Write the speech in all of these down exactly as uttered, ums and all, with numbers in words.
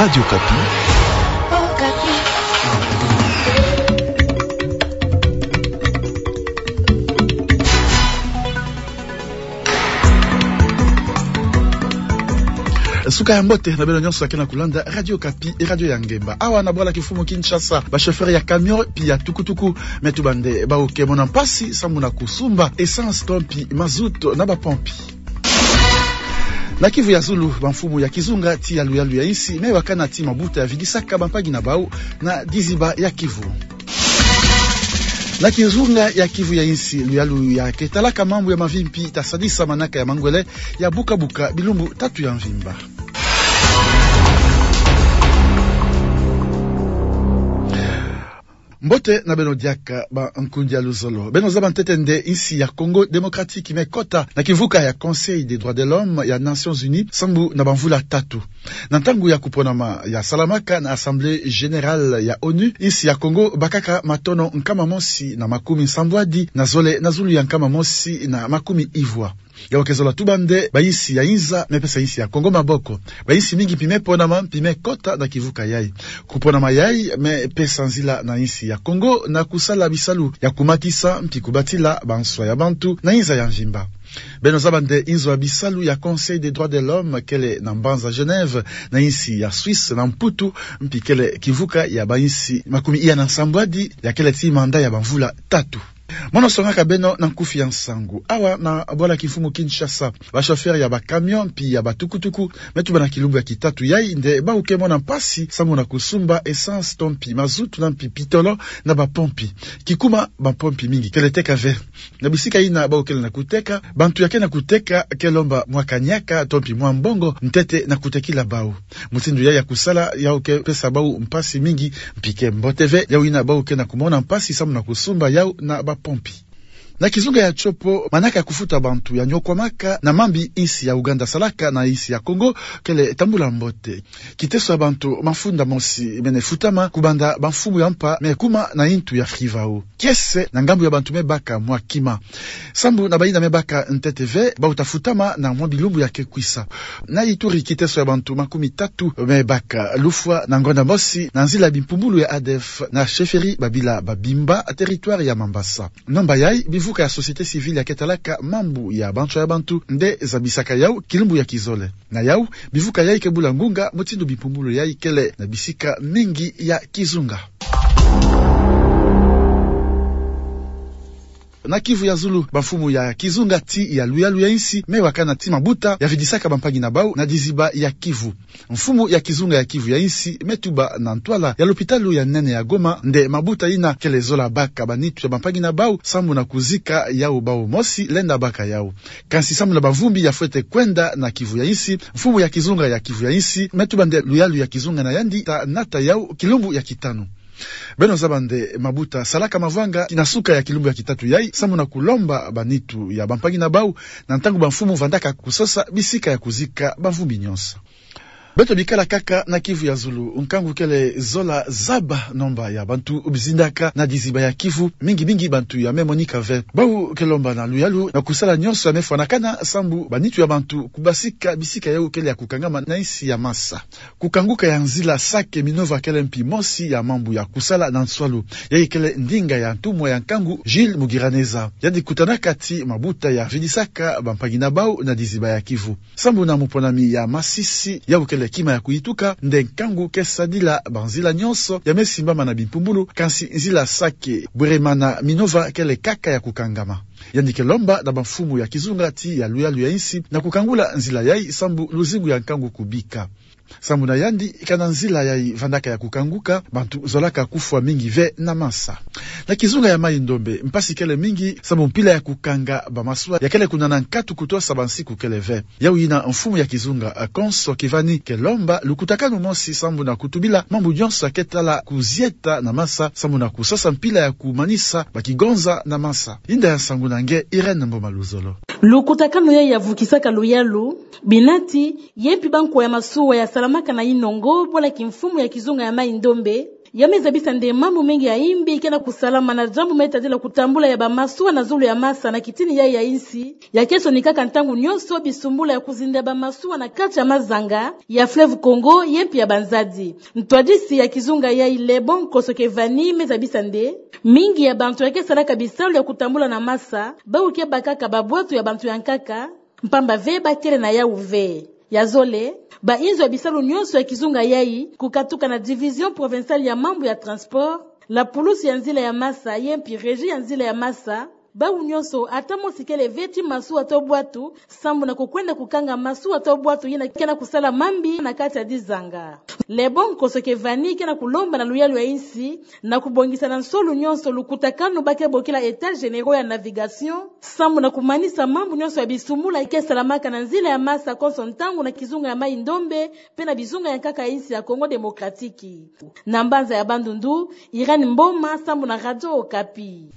Radio Okapi. Suka ya mbote na beno nyonso ya ke na kulanda Radio Okapi, e radio ya ngemba. Awa na bwala kimfumu Kinshasa, ba chauffeur ya camion pi ya tukutuku me tuba nde bau ke mona mpasi sambu na kusumba essence to mpi mazout na bapompi. Na Kivu ya zulu, bamfumu ya kizunga ti ya luyalu ya insi me wakana ti mabuta ya vidisaka bampangi na bau na diziba ya Kivu. Na kizunga ya Kivu ya insi, luyalu ya ke talaka mambu ya mavi mpi ta sadisa manaka ya mangwele ya buka-buka bilumbu tatu ya mvimba. Mbote na beno diaka, bankundi ya luzolo. Beno zaba ntete nde insi ya Congo Démocratique me kota na kivuka ya Conseil des droits de l'homme ya Nations Unies sambu na bamvula tatu. Na ntangu ya kuponama ya salamaka na Assemblée générale ya onu, insi ya Congo bakaka matono nkama mosi na makumi nsambwadi na zole na zulu ya nkama mosi na makumi ivwa. Yau ke zola tuba nde bainsi ya inza me pesa insi ya Congo maboko. Bainsi mingi mpi me ponama mpi me kota na kivuka yai. Kuponama yai me pesa nzila na insi ya Congo na kusala bisalu ya kumatisa mpi kubatila banswa ya bantu na inza ya mvimba. Beno zaba nde inzo ya bisalu ya Conseil des droits de l'homme kele na mbanza Genève na insi ya Suisse na Mputu, mpi kele kivuka ya bainsi makumi iya na nsambwadi, ya kele ti mandat ya bamvula tatu. Mono songaka beno na nkufi ya nsangu. Awa na bwala kimfumu Kinshasa, ba chauffeur ya ba camion mpi ya ba tukutuku me tuba na kilumbu ya kitatu yai nde bau ke mona mpasi sambu na kusumba essence to mpi mazout na mpi pitolo na bapompi. Kikuma bapompi mingi kele teka ve. Na bisika ina bau kele na kuteka, bantu ya ke na kuteka ke lomba mwa kaniaka to mpi mwa mbongo ntete na kutekila bau. Mutindu yai ya kusala yau ke pesa bau mpasi mingi, mpi ke mbote ve, yau ina bau ke na kumona mpasi sambu na kusumba yau na bapompi. Na kizunga ya Tshopo, manaka ya kufuta bantu ya nyokwamaka na mambi insi ya Ouganda salaka na insi ya Congo kele tambula mbote. Kiteso ya bantu mafunda mosi mene futama kubanda bamfumu ya mpa me kuma na intu ya Frivao. Kiese na ngambu ya bantu me baka mwa kima. Sambu na baina me baka ntete ve, bau ta futama na mwa bilumbu ya ke kwisa. Na Ituri, kiteso ya bantu makumi tatu me baka lufwa na ngonda mosi na nzila bimpumbulu ya ADF na chefferie Babila Babimba, territoire ya Mambasa. Nomba yai bivuka ya société civile ya ke talaka mambu ya banswa ya bantu nde zabisaka yau kilumbu ya kizole. Na yau, bivuka yai ke bula ngunga mutindu bimpumbulu yai kele na bisika mingi ya kizunga. Na Kivu ya zulu, bamfumu ya kizunga ti ya luyalu ya insi me wakana ti mabuta ya vidisaka bampangi na bau na diziba ya Kivu. Mfumu ya kizunga ya Kivu ya insi me tuba na ntwala ya lopitalu ya nene ya Goma nde mabuta ina kele zola baka banitu ya bampangi na bau sambu na kuzika yau bau mosi lenda baka yau. Kansi sambu na bavumbi ya fwete kwenda na Kivu ya insi, mfumu ya kizunga ya Kivu ya insi me tuba nde luyalu ya kizunga na yandi ta nata yau kilumbu ya kitanu. Beno zaba nde mabuta salaka mavwanga ti na suka ya kilumbu ya kitatu yai sambu na kulomba banitu ya bampangi na bau na ntangu bamfumu vandaka kusosa bisika ya kuzika bavumbi nyonso. Beto bikala kaka na Kivu ya zulu, nkangu kele zola zaba nomba ya bantu bizindaka na diziba ya Kivu, mingi mingi bantu ya me monika ve. Bau ke lomba na luyalu na kusala nyonso ya me fwanakana sambu banitu ya bantu kubasika bisika yau kele ya kukangama na insi ya masa. Kukanguka ya nzila Sake Minova kele mpi mosi ya mambu ya kusala na nswalu. Yai kele ndinga ya ntumwa ya nkangu Gilles Mugiraneza. Yandi kutanaka ti mabuta ya vidisaka bampangi na bau na diziba ya Kivu. Sambu na muponami ya Masisi, yau kele kima ya kuyituka nde nkangu ke sadila banzila nyonso ya me simbama na bimpumbulu, kansi nzila Sake Bweremana Minova kele kaka ya kukangama. Yandi ke lomba na bamfumu ya kizunga ti ya luyalu ya insi na kukangula nzila yai sambu luzingu ya nkangu kubika. Sambu na yandi, kana nzila yai vandaka ya kukanguka, bantu zolaka kufwa mingi ve na masa. Na kizunga ya Mayi-Ndombe, mpasi kele mingi sambu mpila ya kukanga bamasuwa ya kele kunana nkatu kutosa bansiku kele ve. Yau ina mfumu ya kizunga, Alphonse Kivani, ke lomba lukutakanu mosi sambu na kutubila mambu nyonso ya ke tala kuzieta na masa sambu na kusosa mpila ya kumanisa bakigonza na masa. Inda ya nsangu na nge Irène Mboma Luzolo. Lukutakanu yai ya vukisaka luyalu, binati, ye mpi bankwa ya masuwa ya salamaka na inongo, bwala kimfumu ya kizunga ya Mayi-Ndombe, Ya me zabisa nde mambu mengi ya imbi ke na kusalama na diambu me tadila kutambula ya bamasuwa na zulu ya masa na kitini yai ya insi, ya ke sonikaka ntangu nyonso bisumbula ya kuzinda bamasuwa na kati ya mazanga ya Fleuve Congo, ye mpi ya banzadi. Ntwadisi ya kizunga yai, Lebon Kosokevani, me zabisa nde mingi ya bantu ya ke salaka bisalu ya kutambula na masa, bawu ke bakaka babwatu ya bantu ya nkaka, mpamba ve ba kele na yawu ve. Ya zole, bainzo ya bisalu nyonso ya kizunga yai, kukatuka na Division Provinciale ya mambu ya transport, la pulusu ya nzila ya masa, ye mpi Régie ya nzila ya masa, bawu nyonso ata mosi kele ve ti masuwa to bwatu, sambu na kukwenda kukanga masuwa to bwatu yina ke na kusala mambi na kati ya dizanga. Lebon Kosokevani ke na kulomba na luyalu ya insi, na kubongisa na nsolu nyonso lukutakanu ba ke bokila États généraux ya navigation, sambu na kumanisa mambu nyonso ya bisumbula ke salamaka na nzila ya masa konso ntangu na kizunga ya Mai-Ndombe, pe na bizunga ya nkaka ya insi ya Congo Démocratique. Na mbanza ya Bandundu, Irène Mboma, sambu na Radio Okapi.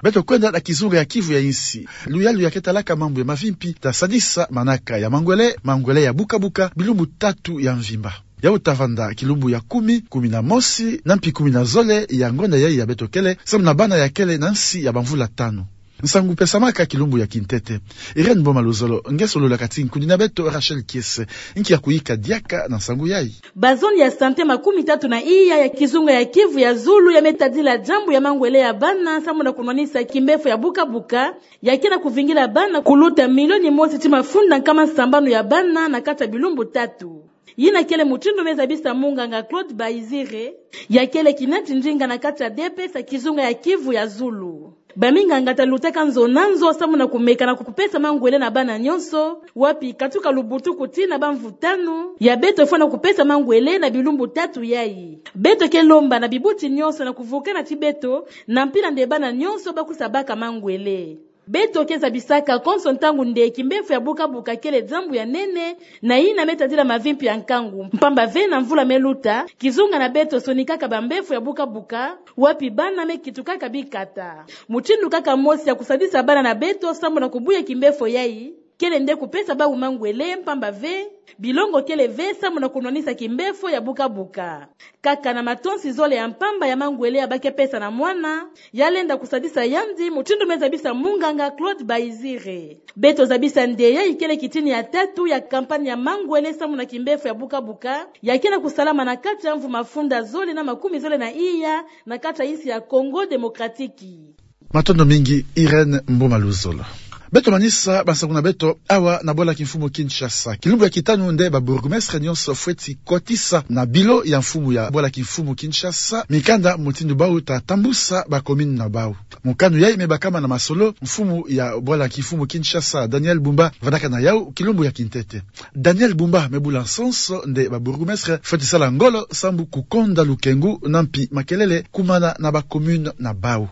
Beto kwenda na kizunga ya Kivu ya insi. Luyalu ya ke talaka mambu ya mavimpi ta sadisa manaka ya mangwele, mangwele ya buka-buka, bilumbu tatu ya mvimba. Yawu ta vanda kilumbu ya kumi, kumi na mosi, na mpi kumi na zole ya ngonda yai ya beto kele, sambu na bana ya kele na nsi ya bamvula tanu. Nsangu pesamaka kilumbu ya kintete. Irène Mboma Luzolo nge solola kati nkudi na beto Rachel Kiese, nki ya kuyika diaka na nsangu yai. Ba zone ya santé makumi tatu na iya ya kizunga ya Kivu ya zulu ya me tadila diambu ya mangwele ya bana, sambu na kunwanisa kimbefo ya buka-buka, ya ke na kuvingila bana kuluta milioni mosi ti mafunda nkama sambanu ya bana na kati ya bilumbu tatu. Yina kele mutindu me zabisa munganga Claude Baizire, ya kele kinati ndinga na kati ya D P S ya kizunga ya Kivu ya zulu. Baminganga ta lutaka nzo na nzo sambu na kumeka na kupesa mangwele na bana nyonso, wapi katuka lubutuku tii na bamvu tanu, ya beto fwana kupesa mangwele na bilumbu tatu yai. Beto ke lomba na bibuti nyonso na kuvukana ti beto, na mpila nde bana nyonso ba kusa baka mangwele. Beto ke zabisaka konso ntangu nde kimbefo ya buka-buka kele diambu ya nene, na yina me tadila mavimpi ya nkangu. Mpamba ve na mvula me luta, kizunga na beto sonikaka bambefo ya buka-buka, wapi bana me kitukaka bikata. Mutindu kaka mosi ya kusadisa bana na beto sambu na kubuya kimbefo yai, kele nde kupesa bawu mangwele, mpamba ve bilongo kele ve sambu na kunwanisa kimbefo ya buka-buka. Kaka na matonsi zole ya mpamba ya mangwele ya ba ke pesa na mwana, ya lenda kusadisa yandi, mutindu me zabisa munganga Claude Baizire. Beto zabisa nde yai kele kitini ya tatu ya kampanye ya mangwele sambu na kimbefo ya buka-buka, ya ke na kusalama na kati ya mvu mafunda zole na makumi zole na iya, na kati ya insi ya Congo Démocratique. Matondo mingi, Irène Mboma Luzolo. Beto manisa bansangu na beto awa na bwala kimfumu Kinshasa. Kilumbu ya kitanu nde ba bourgmestre nyonso fweti kotisa na bilo ya mfumu ya bwala kimfumu Kinshasa mikanda mutindu bawu ta tambusa ba commune na bawu. Mokano yai me bakama na masolo mfumu ya bwala kimfumu Kinshasa, Daniel Bumba, vandaka na yawu kilumbu ya kintete. Daniel Bumba me bula nsonso nde ba bourgmestre fweti sala ngolo sambu kukonda lukengu na mpi makelele kumana na ba commune na bawu.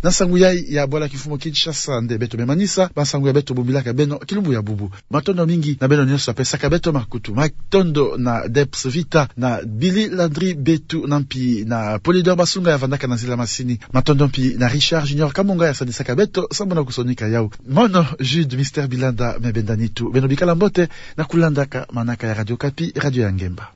Na nsangu yai ya bwala kimfumu Kinshasa nde beto me manisa bansangu ya beto bumbilaka beno kilumbu ya bubu. Matondo mingi na beno nyonso ya pesaka beto makutu. Matondo na Debs Vita, na Billy Landry Betu, na mpi na Polydor Basunga ya vandaka na nzila masini. Matondo mpi na Richard Junior Kamunga ya sadisaka beto sambu na kusonika yawu. Mono Jude Mister Bilanda me benda nitu. Beno bikala mbote na kulandaka manaka ya Radio Okapi, radio ya ngemba.